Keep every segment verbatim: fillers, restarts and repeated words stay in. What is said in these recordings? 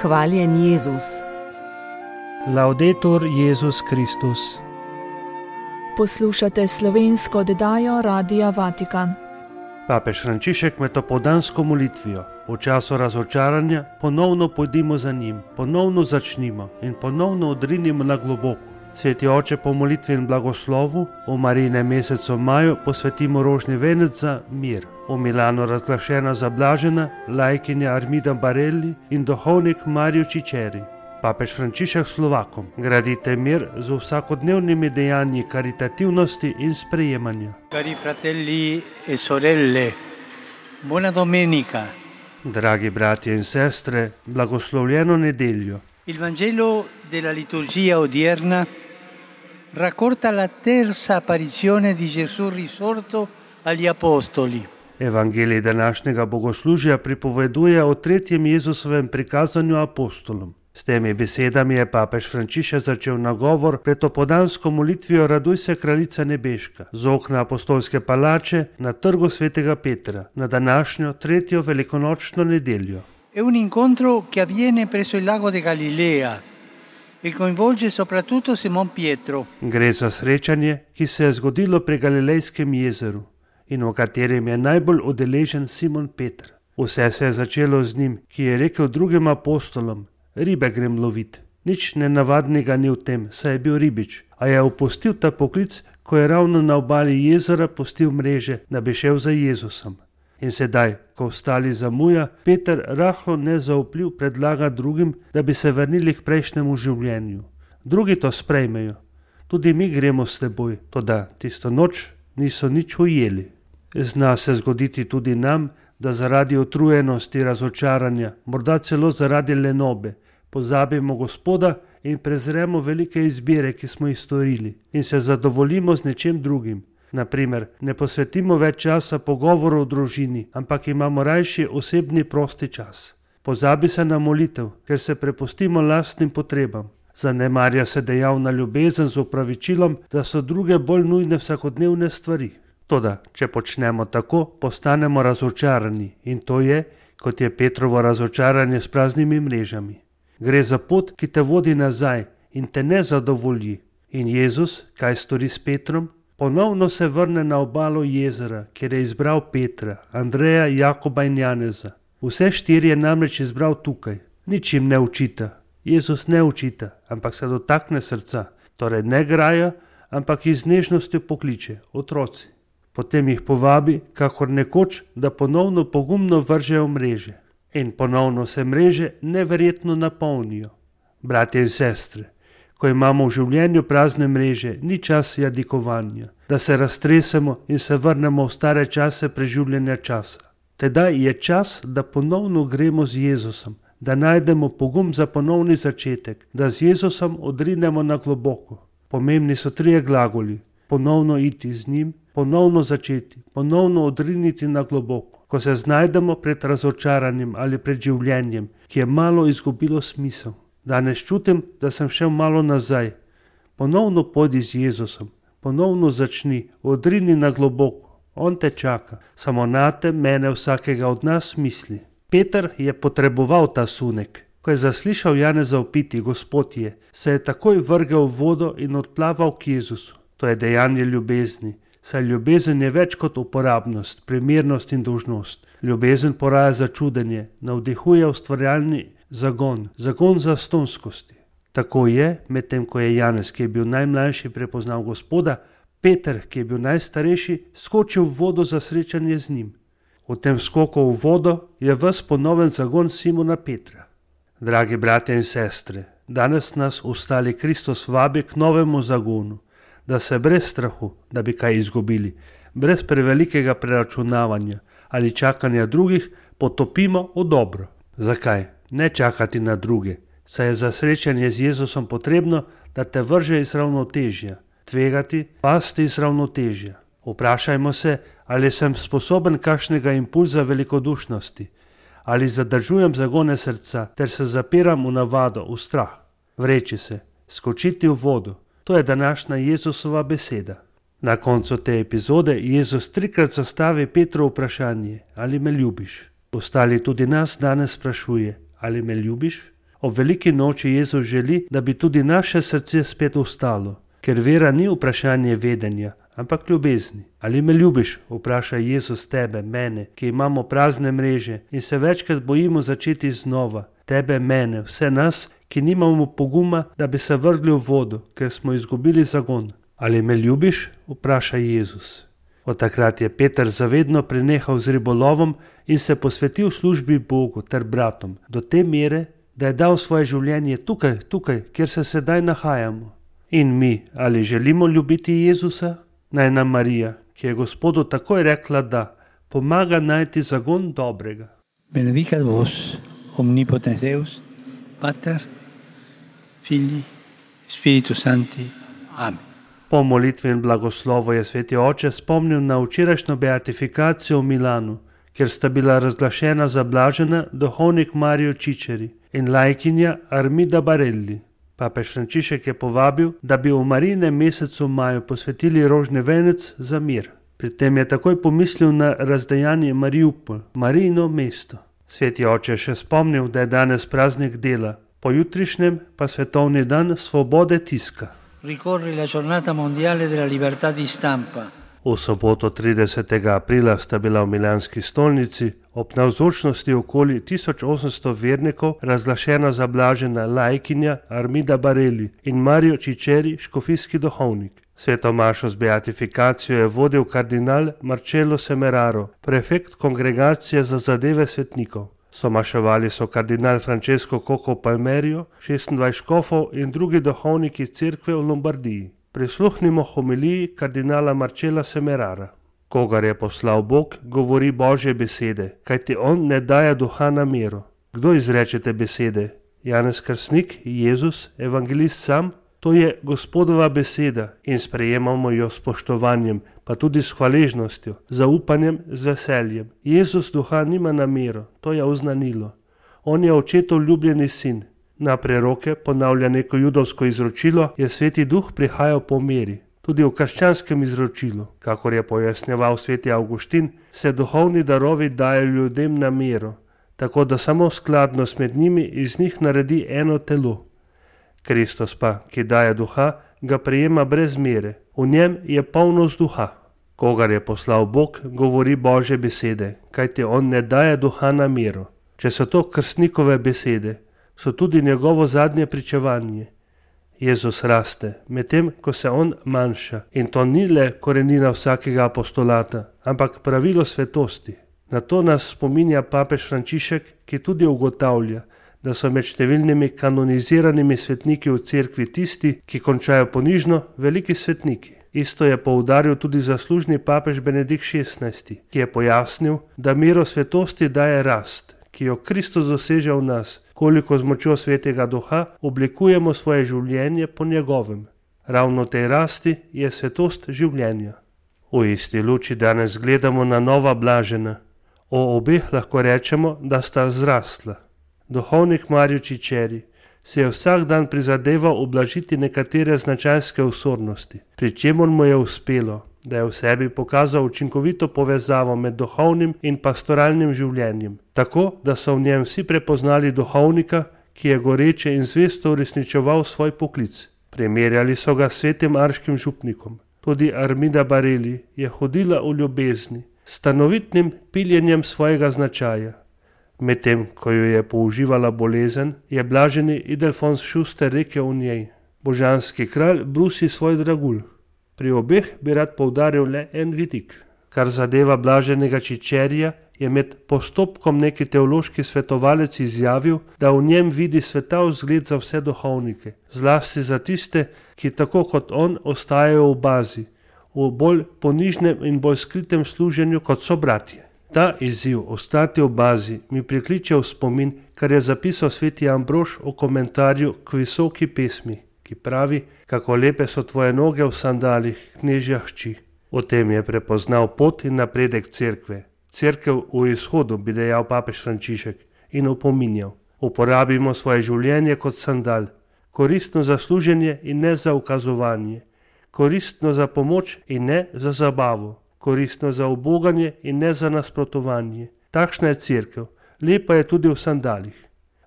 Hvaljen Jezus. Laudetur Jezus Kristus. Poslušate slovensko oddajo Radia Vatikan. Papež Frančišek med opoldansko molitvijo v času razočaranja ponovno pojdimo za njim, ponovno začnimo in ponovno odrinimo na globoko. Sveti oče po molitvi in blagoslovu v Marijinem mesecu maju posvetimo rožni venec za mir. V Milanu razglašena zablažena laikinja Armida Barelli in duhovnik Mario Ciceri. Papež Frančišek Slovakom: gradite mir z vsakodnevnimi dejanji karitativnosti in sprejemanja. Cari fratelli e sorelle, buona domenica. Dragi bratje in sestre, blagoslovljeno nedeljo. Il Vangelo della liturgia odierna racconta la terza apparizione di Gesù risorto agli apostoli. Evangelij današnjega bogoslužja pripoveduje o tretjem Jezusovem prikazanju apostolom. S temi besedami je papež Frančišek začel nagovor pred opoldansko molitvijo Raduj se, kraljica nebeška, z okna apostolske palače na trgu svetega Petra, na današnjo tretjo velikonočno nedeljo. È un incontro che avviene presso il lago di Galilea e coinvolge soprattutto Simon Pietro. Gre za srečanje, ki se je zgodilo pri Galilejskem jezeru in v katerem je najbolj udeležen Simon Peter. Vse se je začelo z njim, ki je rekel drugim apostolom: ribe grem lovit. Nič nenavadnega ni v tem, saj je bil ribič, a je opustil ta poklic, ko je ravno na obali jezera pustil mreže, da bi šel za Jezusom. In sedaj, ko ostali zamuja, Peter rahlo nezaupljiv predlaga drugim, da bi se vrnili k prejšnjemu življenju. Drugi to sprejmejo. Tudi mi gremo s teboj, toda tisto noč niso nič ujeli. Zna se zgoditi tudi nam, da zaradi utrujenosti, razočaranja, morda celo zaradi lenobe, pozabimo Gospoda in prezremo velike izbire, ki smo jih storili, in se zadovoljimo z nečem drugim. Naprimer, ne posvetimo več časa pogovoru o družini, ampak imamo rajši osebni prosti čas. Pozabi se na molitev, ker se prepustimo lastnim potrebam. Zanemarja se dejavna ljubezen z opravičilom, da so druge bolj nujne vsakodnevne stvari. Toda, če počnemo tako, postanemo razočarani, in to je, kot je Petrovo razočaranje s praznimi mrežami. Gre za pot, ki te vodi nazaj in te ne zadovolji. In Jezus, kaj stori s Petrom? Ponovno se vrne na obalo jezera, kjer je izbral Petra, Andreja, Jakoba in Janeza. Vse štiri je namreč izbral tukaj. Nič jim ne učita. Jezus ne učita, ampak se dotakne srca. Torej ne graja, ampak iz nežnosti pokliče: otroci. Potem jih povabi, kakor nekoč, da ponovno pogumno vržejo mreže. In ponovno se mreže neverjetno napolnijo. Bratje in sestre, ko imamo v življenju prazne mreže, ni čas jadikovanja, da se raztresemo in se vrnemo v stare čase preživljanja časa. Tedaj je čas, da ponovno gremo z Jezusom, da najdemo pogum za ponovni začetek, da z Jezusom odrinemo na globoko. Pomembni so trije glagoli: ponovno iti z njim, ponovno začeti, ponovno odriniti na globoko. Ko se znajdemo pred razočaranjem ali pred življenjem, ki je malo izgubilo smisel. Danes čutim, da sem šel malo nazaj. Ponovno pojdi z Jezusom, ponovno začni, odrini na globoko. On te čaka, samo nate, mene, vsakega od nas misli. Peter je potreboval ta sunek. Ko je zaslišal Janeza vpiti: Gospod je, se je takoj vrgel v vodo in odplaval k Jezusu. To je dejanje ljubezni, saj ljubezen je več kot uporabnost, primernost in dolžnost. Ljubezen poraja začudenje, navdihuje ustvarjalni zagon, zagon zastonskosti. Tako je, medtem ko je Janez, ki je bil najmlajši, prepoznal Gospoda, Peter, ki je bil najstarejši, skočil v vodo za srečanje z njim. V tem skoku v vodo je ves ponoven zagon Simona Petra. Dragi bratje in sestre, danes nas ustali Kristus vabi k novemu zagonu, da se brez strahu, da bi kaj izgubili, brez prevelikega preračunavanja ali čakanja drugih, potopimo v dobro. Zakaj? Ne čakati na druge, saj je za srečanje z Jezusom potrebno, da te vrže iz ravnotežja, tvegati, pasti iz ravnotežja. Vprašajmo se, ali sem sposoben kakšnega impulza velikodušnosti, ali zadržujem zagone srca ter se zapiram v navado, v strah. Vreči se, skočiti v vodo. To je današnja Jezusova beseda. Na koncu te epizode Jezus trikrat zastavi Petru vprašanje: ali me ljubiš? Ostali tudi nas danes sprašuje: ali me ljubiš? Ob veliki noči Jezus želi, da bi tudi naše srce spet ustalo, ker vera ni vprašanje vedenja, ampak ljubezni. Ali me ljubiš, vpraša Jezus tebe, mene, ki imamo prazne mreže in se večkrat bojimo začeti znova. Tebe, mene, vse nas, ki nimamo poguma, da bi se vrgli v vodo, ker smo izgubili zagon. Ali me ljubiš, vpraša Jezus. Od takrat je Peter zavedno prenehal z ribolovom in se posvetil službi Bogu ter bratom, do te mere, da je dal svoje življenje tukaj, tukaj, kjer se sedaj nahajamo. In mi, ali želimo ljubiti Jezusa? Naj nam Marija, ki je Gospodu takoj rekla da, pomaga najti zagon dobrega. Benedicat vos, omnipotens Deus, Pater, Filii, Spiritus Sancti. Amen. Po molitvi in blagoslovu je sveti oče spomnil na včerajšnjo beatifikacijo v Milanu, kjer sta bila razglašena za blažena duhovnik Mario Ciceri in laikinja Armida Barelli. Papež Frančišek je povabil, da bi v Marijinem mesecu maju posvetili rožni venec za mir. Pri tem je takoj pomislil na razdejanje Mariupol, Marijino mesto. Sveti oče je še spomnil, da je danes praznik dela, pojutrišnjem pa svetovni dan svobode tiska. Ricorre la giornata mondiale della libertà di stampa. V soboto tridesetega aprila sta bila v milanski stolnici ob navzočnosti okoli tisoč osemsto vernikov razglašena za blažena laikinja Armida Barelli in Mario Ciceri, škofijski duhovnik. Sveto mašo z beatifikacijo je vodil kardinal Marcello Semeraro, prefekt kongregacije za zadeve svetnikov. Somaševali so kardinal Francesco Coco Palmerio, šestindvajset škofov in drugi duhovniki cerkve v Lombardiji. Prisluhnimo homiliji kardinala Marcella Semerara. Kogar je poslal Bog, govori Božje besede, kajti on ne daje duha na mero. Kdo izreče te besede? Janez Krstnik, Jezus, evangelist sam? To je Gospodova beseda in sprejemamo jo s spoštovanjem, pa tudi s hvaležnostjo, zaupanjem, z veseljem. Jezus duha nima namero, to je oznanilo. On je očetov ljubljeni sin. Na preroke ponavlja neko judovsko izročilo, je sveti duh prihajal po meri. Tudi v krščanskem izročilu, kakor je pojasnjeval sveti Avguštin, se duhovni darovi dajo ljudem na mero, tako da samo skladnost med njimi iz njih naredi eno telo. Kristus pa, ki daje duha, ga prejema brez mere. V njem je polnost duha. Kogar je poslal Bog, govori Božje besede, kajti on ne daje duha na mero. Če so to krstnikove besede, so tudi njegovo zadnje pričevanje. Jezus raste, medtem ko se on manjša. In to ni le korenina vsakega apostolata, ampak pravilo svetosti. Na to nas spominja papež Frančišek, ki tudi ugotavlja, da so med številnimi kanoniziranimi svetniki v cerkvi tisti, ki končajo ponižno, veliki svetniki. Isto je poudaril tudi zaslužni papež Benedikt šestnajsti, ki je pojasnil, da mero svetosti daje rast, ki jo Kristus doseže v nas, koliko z močjo svetega duha oblikujemo svoje življenje po njegovem. Ravno tej rasti je svetost življenja. V isti luči danes gledamo na nova blažena. O obeh lahko rečemo, da sta zrastla. Duhovnik Mario Ciceri se je vsak dan prizadeval ublažiti nekatere značajske osornosti, pri čemer mu je uspelo, da je v sebi pokazal učinkovito povezavo med duhovnim in pastoralnim življenjem, tako da so v njem vsi prepoznali duhovnika, ki je goreče in zvesto uresničeval svoj poklic. Primerjali so ga s svetim arškim župnikom. Tudi Armida Barelli je hodila v ljubezni, stanovitnim piljenjem svojega značaja. Medtem, ko jo je použivala bolezen, je blaženi Ildefonz Schuster rekel o njej: Božanski kralj brusi svoj dragulj. Pri obeh bi rad poudaril le en vidik. Kar zadeva blaženega Cicerija, je med postopkom neki teološki svetovalec izjavil, da v njem vidi svetav zgled za vse duhovnike, zlasti za tiste, ki tako kot on ostajajo v bazi, v bolj ponižnem in bolj skritem služenju kot so bratje. Ta izziv ostati v bazi mi prikliče v spomin, kar je zapisal sveti Ambrož v komentarju k visoki pesmi, ki pravi, kako lepe so tvoje noge v sandalih, knežja hči. O tem je prepoznal pot in napredek cerkve. Cerkev v izhodu, bi dejal papež Frančišek, in opominjal: uporabimo svoje življenje kot sandal, koristno za služenje in ne za ukazovanje, koristno za pomoč in ne za zabavo, koristno za uboganje in ne za nasprotovanje. Takšna je cerkev, lepa je tudi v sandalih.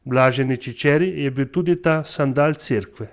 Blaženi Čičeri je bil tudi ta sandal cerkve.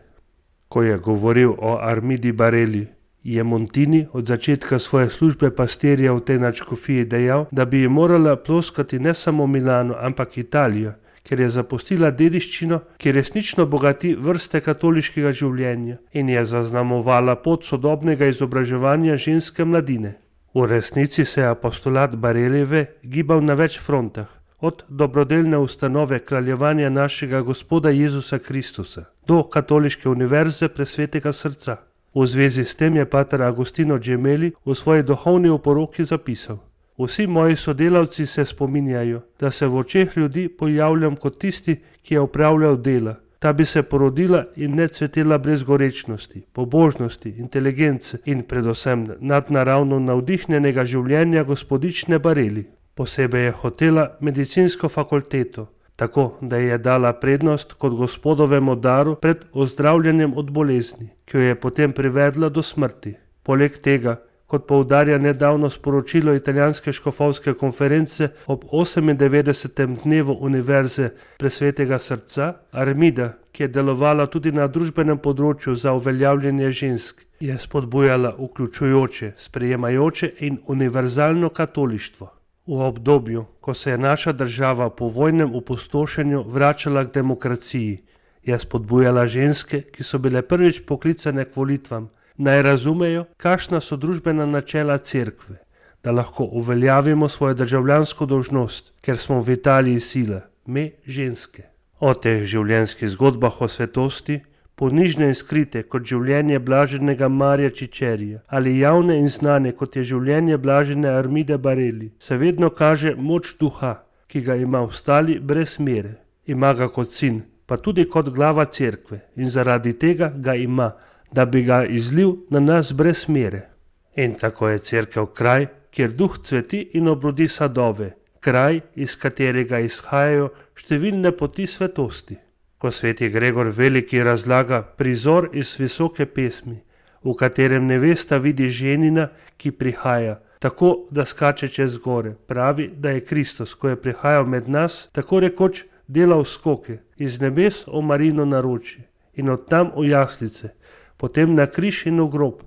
Ko je govoril o Armidi Bareli, je Montini od začetka svoje službe pastirja v tej nadškofiji dejal, da bi ji morala ploskati ne samo Milano, ampak Italijo, ker je zapustila dediščino, ki resnično bogati vrste katoliškega življenja in je zaznamovala pot sodobnega izobraževanja ženske mladine. V resnici se je apostolat Barelijeve gibal na več frontah, od dobrodelne ustanove kraljevanja našega Gospoda Jezusa Kristusa do katoliške univerze Presvetega srca. V zvezi s tem je pater Agostino Gemelli v svoji duhovni oporoki zapisal: Vsi moji sodelavci se spominjajo, da se v očeh ljudi pojavljam kot tisti, ki je opravljal dela. Ta bi se porodila in ne cvetela brez gorečnosti, pobožnosti, inteligence in predvsem nadnaravno navdihnjenega življenja gospodične Bareli. Posebej je hotela medicinsko fakulteto, tako da je dala prednost kot gospodovemu daru pred ozdravljanjem od bolezni, ki jo je potem privedla do smrti. Poleg tega, kot poudarja nedavno sporočilo italijanske škofovske konference ob osemindevetdesetem dnevu Univerze Presvetega srca, Armida, ki je delovala tudi na družbenem področju za uveljavljanje žensk, je spodbujala vključujoče, sprejemajoče in univerzalno katolištvo. V obdobju, ko se je naša država po vojnem opustošenju vračala k demokraciji, je spodbujala ženske, ki so bile prvič poklicane k volitvam, naj razumejo, kakšna so družbena načela cerkve, da lahko uveljavimo svojo državljansko dolžnost, ker smo v Italiji sila, me ženske. O teh življenjskih zgodbah o svetosti, ponižne in skrite kot življenje blaženega Marija Čičerija ali javne in znane kot je življenje blažene Armide Bareli, se vedno kaže moč duha, ki ga ima ostali brez mere. Ima ga kot sin, pa tudi kot glava cerkve in zaradi tega ga ima, da bi ga izlil na nas brez mere. In tako je cerkev kraj, kjer duh cveti in obrodi sadove, kraj, iz katerega izhajajo številne poti svetosti. Ko sveti Gregor Veliki razlaga prizor iz visoke pesmi, v katerem nevesta vidi ženina, ki prihaja, tako da skače čez gore, pravi, da je Kristus, ko je prihajal med nas, tako rekoč delal skoke, iz nebes o Marino naročje in od tam v jaslice, potem na križ in v grob,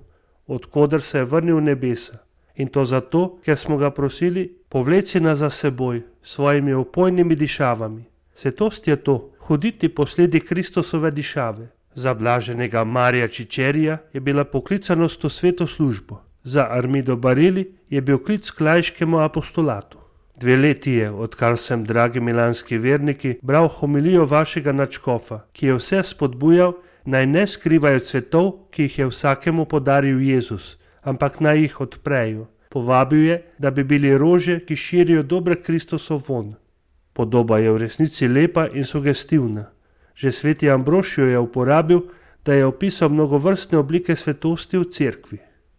odkoder se je vrnil v nebesa. In to zato, ker smo ga prosili, povleci nas za seboj, svojimi opojnimi dišavami. Svetost je to, hoditi po sledi Kristusove dišave. Za blaženega Marija Čičerija je bila poklicanost v sveto službo. Za Armido Bareli je bil klic k laiškemu apostolatu. Dve leti je, odkar sem, dragi milanski verniki, bral homilijo vašega nadškofa, ki je vse spodbujal, naj ne skrivajo cvetov, ki jih je vsakemu podaril Jezus, ampak naj jih odprejo. Povabil je, da bi bili rože, ki širijo dober Kristusov von. Podoba je v resnici lepa in sugestivna. Že sveti Ambrošijo je uporabil, da je opisal mnogovrstne oblike svetosti v cerkvi.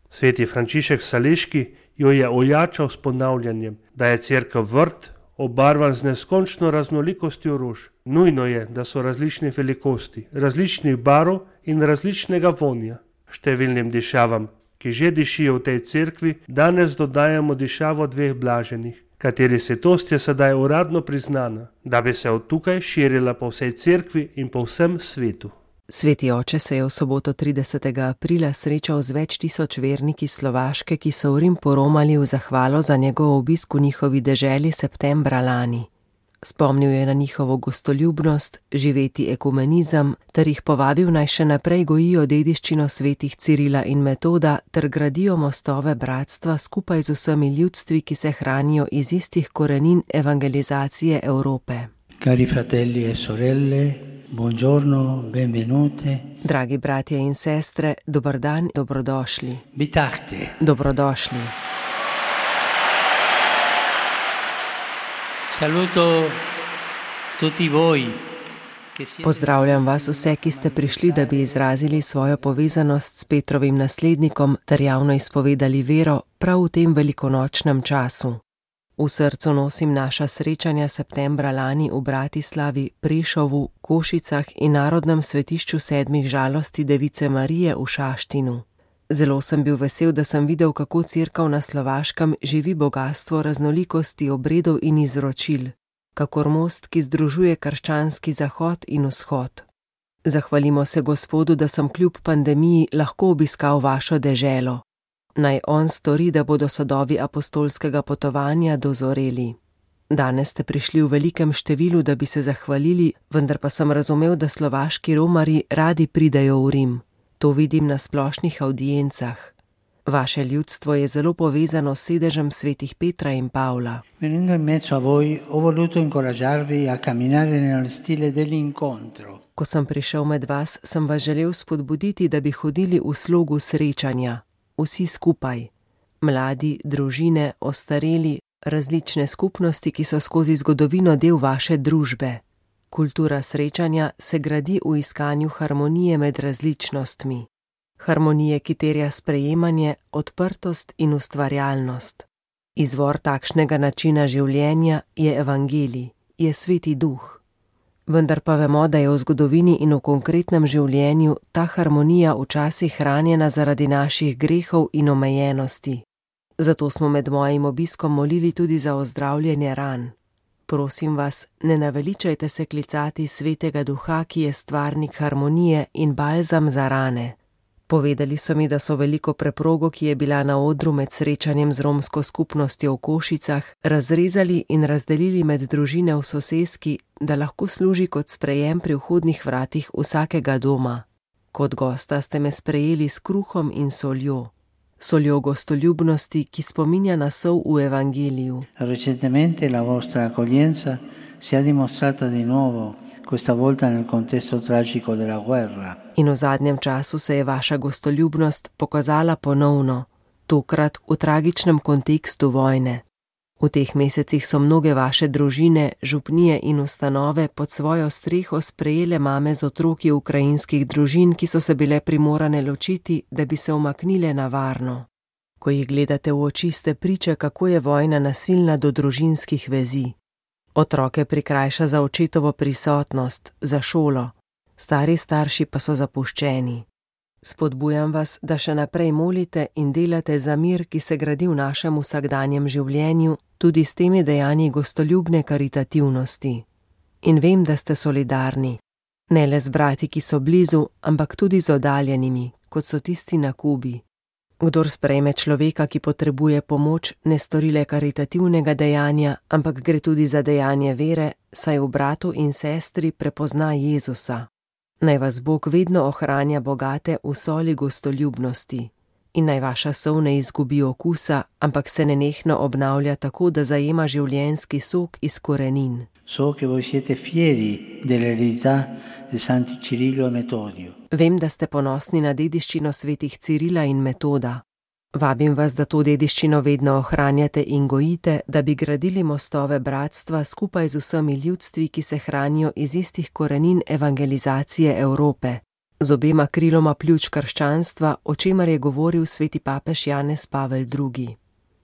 Sveti Frančišek Saleški jo je ojačal s ponavljanjem, da je cerkev vrt, obarvan z neskončno raznolikostjo rož. Nujno je, da so različne velikosti, različnih barv in različnega vonja. Številnim dišavam, ki že dišijo v tej cerkvi, danes dodajamo dišavo dveh blaženih, kateri svetost je sedaj uradno priznana, da bi se od tukaj širila po vsej cerkvi in po vsem svetu. Sveti oče se je v soboto tridesetega aprila srečal z več tisoč verniki Slovaške, ki so v Rim poromali v zahvalo za njegov obisk v njihovi deželi septembra lani. Spomnil je na njihovo gostoljubnost, živeti ekumenizem, ter jih povabil naj še naprej gojijo dediščino svetih Cirila in Metoda ter gradijo mostove bratstva skupaj z vsemi ljudstvi, ki se hranijo iz istih korenin evangelizacije Evrope. Cari fratelli e sorelle, buongiorno, benvenute. Dragi bratje in sestre, dober dan, dobrodošli. Bitahte. Dobrodošli. Saluto tutti voi. Pozdravljam vas vse, ki ste prišli, da bi izrazili svojo povezanost s Petrovim naslednikom ter javno izpovedali vero prav v tem velikonočnem času. V srcu nosim naša srečanja septembra lani v Bratislavi, Prešovu, Košicah in Narodnem svetišču sedmih žalosti Device Marije v Šaštinu. Zelo sem bil vesel, da sem videl, kako cerkev na Slovaškem živi bogastvo raznolikosti obredov in izročil. kakor most, ki združuje krščanski zahod in vzhod. Zahvalimo se Gospodu, da sem kljub pandemiji lahko obiskal vašo deželo. Naj on stori, da bodo sadovi apostolskega potovanja dozoreli. Danes ste prišli v velikem številu, da bi se zahvalili, vendar pa sem razumel, da slovaški romarji radi pridejo v Rim. To vidim na splošnih avdiencah. Vaše ljudstvo je zelo povezano s sedežem svetih Petra in Pavla. Venendo in mezzo a voi, ho voluto incoraggiarvi a camminare nel stile dell'incontro. Ko sem prišel med vas, sem vas želel spodbuditi, da bi hodili v slogu srečanja. Vsi skupaj. Mladi, družine, ostareli, različne skupnosti, ki so skozi zgodovino del vaše družbe. Kultura srečanja se gradi v iskanju harmonije med različnostmi. Harmonije, ki terja sprejemanje, odprtost in ustvarjalnost. Izvor takšnega načina življenja je evangelij, je sveti duh. Vendar pa vemo, da je v zgodovini in v konkretnem življenju ta harmonija včasih hranjena zaradi naših grehov in omejenosti. Zato smo med mojim obiskom molili tudi za ozdravljenje ran. Prosim vas, ne naveličajte se klicati svetega duha, ki je stvarnik harmonije in balzam za rane. Povedali so mi, da so veliko preprogo, ki je bila na odru med srečanjem z romsko skupnostjo v Košicah, razrezali in razdelili med družine v soseski, da lahko služi kot sprejem pri vhodnih vratih vsakega doma. Kot gosta ste me sprejeli s kruhom in soljo. Soljo gostoljubnosti, ki spominja na sol v evangeliju. Recentemente la vostra accoglienza si è dimostrata di nuovo, questa volta nel contesto tragico della guerra. In v zadnjem času se je vaša gostoljubnost pokazala ponovno, tokrat v tragičnem kontekstu vojne. V teh mesecih so mnoge vaše družine, župnije in ustanove pod svojo streho sprejele mame z otroki ukrajinskih družin, ki so se bile primorane ločiti, da bi se umaknile na varno. Ko jih gledate v oči, ste priče, kako je vojna nasilna do družinskih vezi. Otroke prikrajša za očetovo prisotnost, za šolo, stari starši pa so zapuščeni. Spodbujam vas, da še naprej molite in delate za mir, ki se gradi v našem vsakdanjem življenju, tudi s temi dejanji gostoljubne karitativnosti. In vem, da ste solidarni. Ne le z brati, ki so blizu, ampak tudi z oddaljenimi, kot so tisti na Kubi. Kdor sprejme človeka, ki potrebuje pomoč, ne stori le karitativnega dejanja, ampak gre tudi za dejanje vere, saj v bratu in sestri prepozna Jezusa. Naj vas Bog vedno ohranja bogate v soli gostoljubnosti in naj vaša sol ne izgubi okusa, ampak se nenehno obnavlja tako, da zajema življenjski sok iz korenin. So che voi siete fieri dell'eredità di Santi Cirillo e Metodio. Vem, da ste ponosni na dediščino svetih Cirila in Metoda. Vabim vas, da to dediščino vedno ohranjate in gojite, da bi gradili mostove bratstva skupaj z vsemi ljudstvi, ki se hranijo iz istih korenin evangelizacije Evrope, z obema kriloma pljuč krščanstva, o čemer je govoril sveti papež Janez Pavel drugi.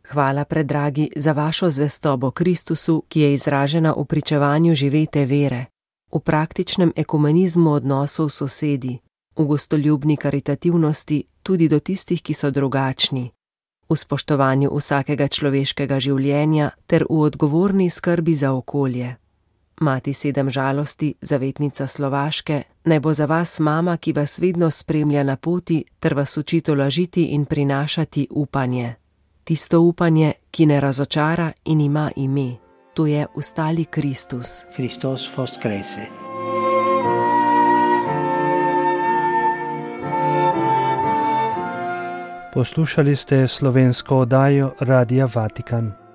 Hvala, predragi, za vašo zvestobo Kristusu, ki je izražena v pričevanju živete vere, v praktičnem ekumenizmu odnosov s sosedi, v gostoljubni karitativnosti tudi do tistih, ki so drugačni, v spoštovanju vsakega človeškega življenja ter v odgovorni skrbi za okolje. Mati sedem žalosti, zavetnica Slovaške, naj bo za vas mama, ki vas vedno spremlja na poti ter vas uči tolažiti in prinašati upanje. Tisto upanje, ki ne razočara in ima ime, to je ustali Kristus. Christos voskrese. Poslušali ste slovensko oddajo Radia Vatikan.